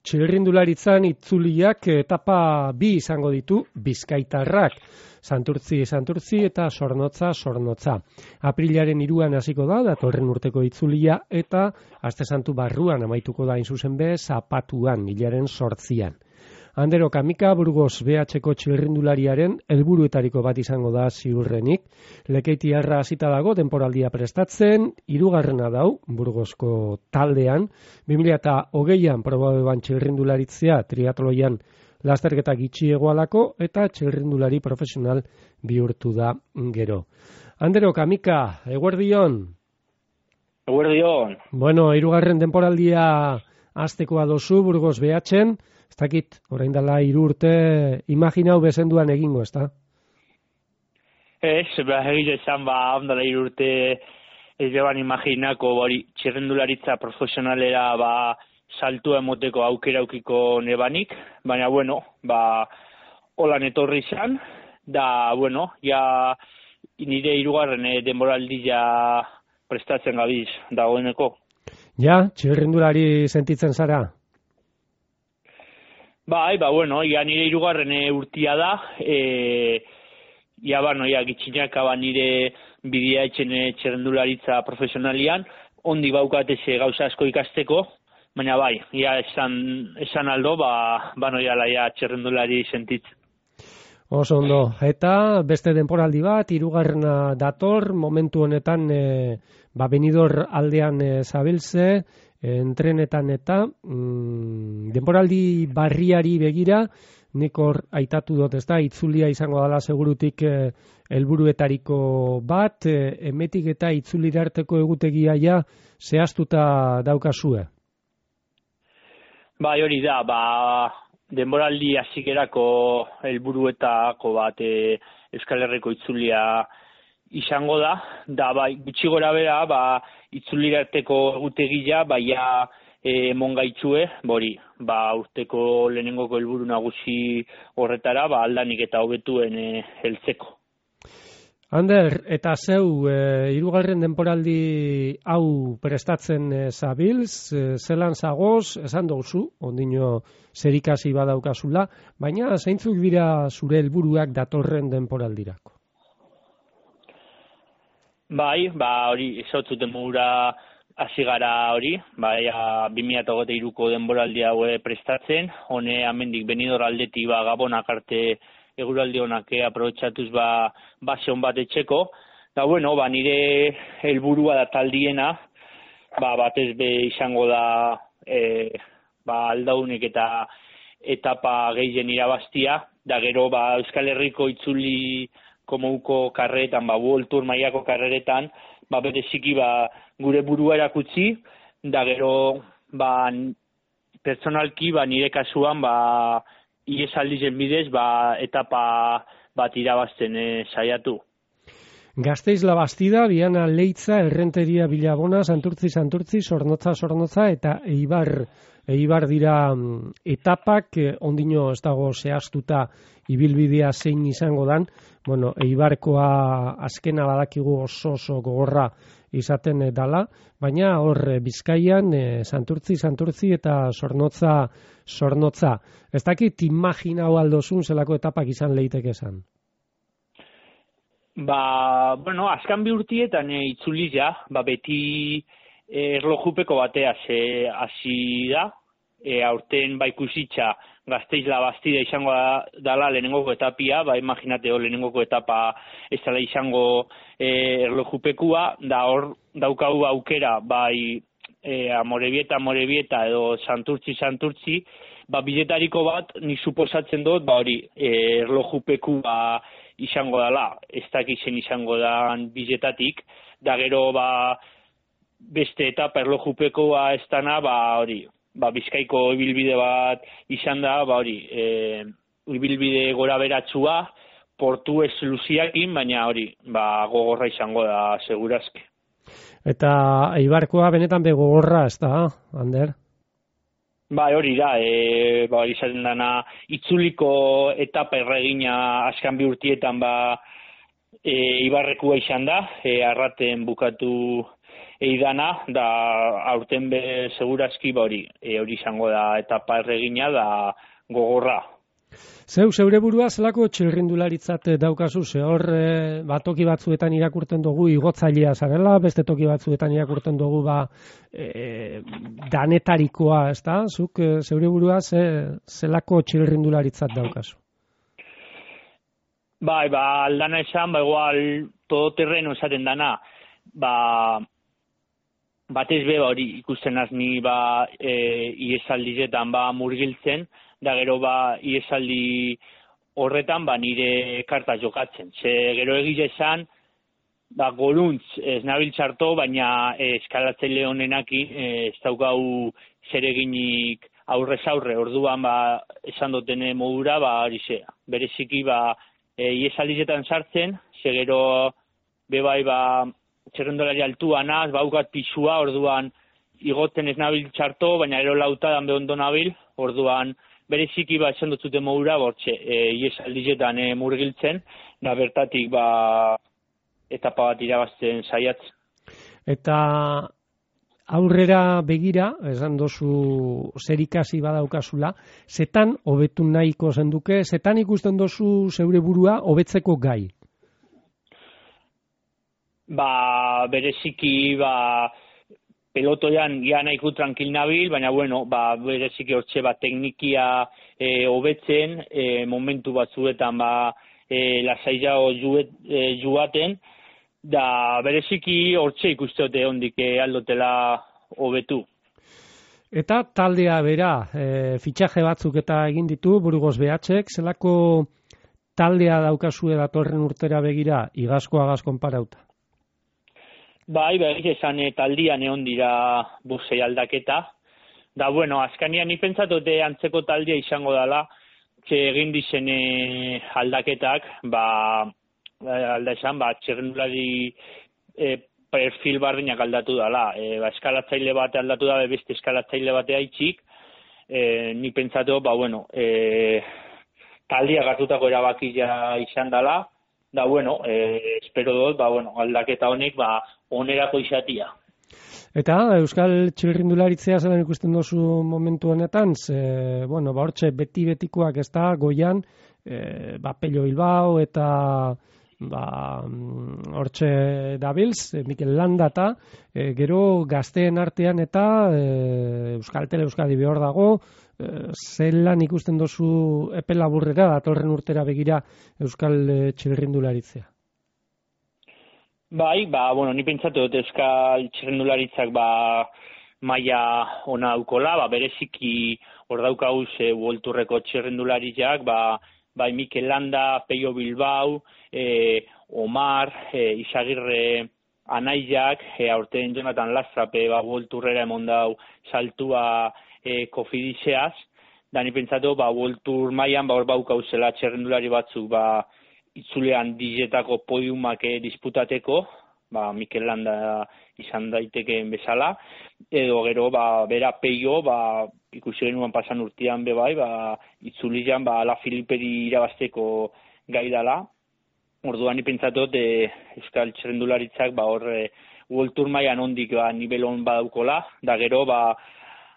Txirrindularitzan itzuliak etapa bi izango ditu bizkaitarrak. Santurtzi eta Zornotza. Aprilaren 3an hasiko da, datorren urteko itzulia, eta Aste Santu barruan amaituko da zuzen be, Zapatuan, hilaren 8an. Andere Kamika Burgos BH-ko txirrindulariaren helburuetariko bat izango da ziurrenik. Lekeitiarra hasita dago denporaldia prestatzen, 3. dau Burgosko taldean, 2020an probabeban txirrindularitzea triatloian lasterketa gitxiegoalako eta txirrindulari profesional bihurtu da gero. Andere Kamika, eguerdion? Eguerdion. Bueno, 3. denporaldia hastekoa dozu Burgos BH-en, ez dakit, orain dela 3 urte imaginau bezenduan egingo, ez da? Ez, egile esan, ondala 3 urte ez beban imaginako, txirrendularitza profesionalera, saltua emoteko aukera aukiko nebanik, baina, holan etorri izan, da, ja nire 3. denboraldia prestatzen gabiz dagoeneko. Ja, txirrendulari sentitzen zara? Ja nire 3. urtia da, ja gitxinak nire bidea etxen txirrendularitza profesionalian, ondi baukatez gauza asko ikasteko, baina ja esan aldo, ja txirrendulari sentitzen. Oso ondo, eta beste denporaldi bat, 3. dator, momentu honetan Benidorm aldean zabiltze, entrenetan eta denporaldi barriari begira, nik hor aitatu dut, ez da, itzulia izango dela segurutik helburuetariko bat, emetik eta itzulirarteko egutegia ja zehaztuta daukazue. Hori da, denboraldi hasikerako helburuetako bat Euskal Herriko itzulia izango da, gutxi gora bera, itzulirarteko egutegia, emon gaitzue, urteko lehenengoko helburu nagusi horretara, aldanik eta hobetuen heltzeko. Ander, eta zeu, 3. denporaldi hau prestatzen zabiltz, zelan zagoz, esan duzu, ondino zerikasi badaukazula, baina zeintzuk dira zure helburuak datorren denporaldirako? Hori, esotzuten mugura hasi gara hori, 2023ko denboraldi hau prestatzen, hone amendik Benidorm aldetik Gabonak arte eguraldi honak aprobetxatuz base hon bat etxeko, da nire helburua da taldiena, batez be izango da aldaunek eta etapa gehien irabaztia, da gero Euskal Herriko itzuli komouko karreretan, World Tour mailako karreretan, bereziki gure burua erakutsi, da gero pertsonalki nire kasuan iesaldizen bidez etapa bat irabazten saiatu. Gasteiz Labastida, Biana Leitza, Errenteria Bilabona, Santurtzi, Zornotza eta Eibar dira etapak, ondino ez dago zehaztuta ibilbidea zein izango dan, Eibarkoa azkena badakigu oso gogorra izaten dala, baina hor Bizkaian Santurtzi eta Zornotza. Ez dakit imaginau aldozun zelako etapak izan leiteke esan? Azkan bi urtietan itzuli ja, beti erlojupeko batea hasi da, aurten ikusitza Gasteiz Labastida izango dala lehenengoko etapia, imaginate lehenengoko etapa ez dela izango erlojupekua, da hor daukagu aukera, Amorebieta edo Santurtzi, biletariko bat, nik suposatzen dut, erlojupeku izango dela, ez dakizen izango da biletatik, da gero beste etapa erlojupekoa ez dana, Bizkaiko ibilbide bat izan da, ibilbide gora beratzua, portu ez luziakin, baina gogorra izango da segurazki. Eta Eibarkoa benetan begogorra, ez da, Ander? Ba, hori da, izaten dana, itzuliko etapa erregina askan bi urtietan, Ibarrekua izan da, arraten bukatu eidana, da aurten segurazki hori izango da etapa erregina da gogorra. Zeure burua zelako txirrindularitzat daukazu, hor toki batzuetan irakurten dugu igotzailea zarela, beste toki batzuetan irakurten dugu danetarikoa, ezta? Zuk zeure burua zelako txirrindularitzat daukazu? Aldana esan, igual todoterreno esaten dana, batez be hori ikusten azni iesaldizetan murgiltzen, da gero iesaldi horretan nire karta jokatzen. Ze gero egize esan, goruntz ez nabil txarto, baina eskalatzaile honenakin ez daukau zereginik aurrez aurre, orduan esan dutene modura, bereziki iesaldizetan sartzen, ze gero bebai txerrendolari altua naz, baukat pisua, orduan igotzen ez nabil txarto, baina gero lautadan behondo nabil, orduan bereziki esan dutzute modura, iesaldizetan murgiltzen, da bertatik etapa bat irabazten saiatzen. Eta aurrera begira, esan dozu zer ikasi badaukazula, zetan hobetu nahiko zenduke, zetan ikusten dozu zeure burua hobetzeko gai? Bereziki, pelotoian ia nahiko tranquil nabil, baina bereziki hortxe teknikia hobetzen, momentu batzuetan lasaiago juaten, da bereziki hortxe ikusteote hondik aldotela hobetu. Eta taldea bera, fitxaje batzuk eta egin ditu, Burgos BHek, zelako taldea daukazue datorren urtera begira, igazkoagaz konparauta? Esan taldian egon dira buzei aldaketa. Da, azkanian ni pentsatote antzeko taldea izango dela, egin dizen aldaketak, alda esan, txerrendulari perfil bardinak aldatu dela. Eskalatzaile bate aldatu da, beste eskalatzaile batea itxik, ni pentsatu, taldea gartutako erabakia izan dela, da, espero dut, aldaketa honek, onerako izatia. Eta Euskal Txirrindularitzea zelan ikusten dozu momentu honetan, hortxe beti-betikoak ez da, goian, Pello Bilbao eta hortxe dabilz, Mikel Landata, gero gazteen artean eta Euskaltel Euskadi behor dago, zelan ikusten dozu epe laburrera, datorren urtera begira Euskal Txirrindularitzea? Ni pentsatu dut Euskal Txirrindularitzak maila ona daukola, bereziki hor daukauz Uolturreko txirrindularitzak, Mikel Landa, Pello Bilbao, Omar, Izagirre Anaiak, aurten Jonathan Lastrape Uolturrera emon dau saltua kofidizeaz, da ni pentsatu Uoltur mailan hor baukauzela txirrindulari batzuk itzulean dizetako podiumak disputateko, Mikel Landa izan daitekeen bezala, edo gero bera Pello, ikusi genuen pasan urtean itzulian Ala Filiperi irabazteko gai dela. Orduan ni pentsatut Euskal Txirrindularitzak Uoltur mailan ondik nivel on badaukola, da gero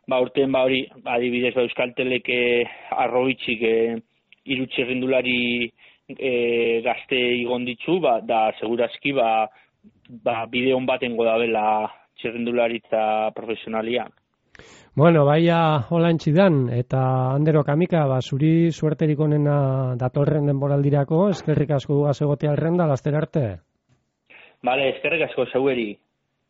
urten hori adibidez Euskaltelek arrobitzik hiru txirrindulari gazte igon ditzu, da segurazki bide on batengo dabela txirrindularitza profesionalian. Holantzi dan, eta Andero Kamika, zuri suerterik onena datorren denboraldirako, eskerrik asko dugaz egotea alrenda, laster arte. Eskerrik asko zeueri.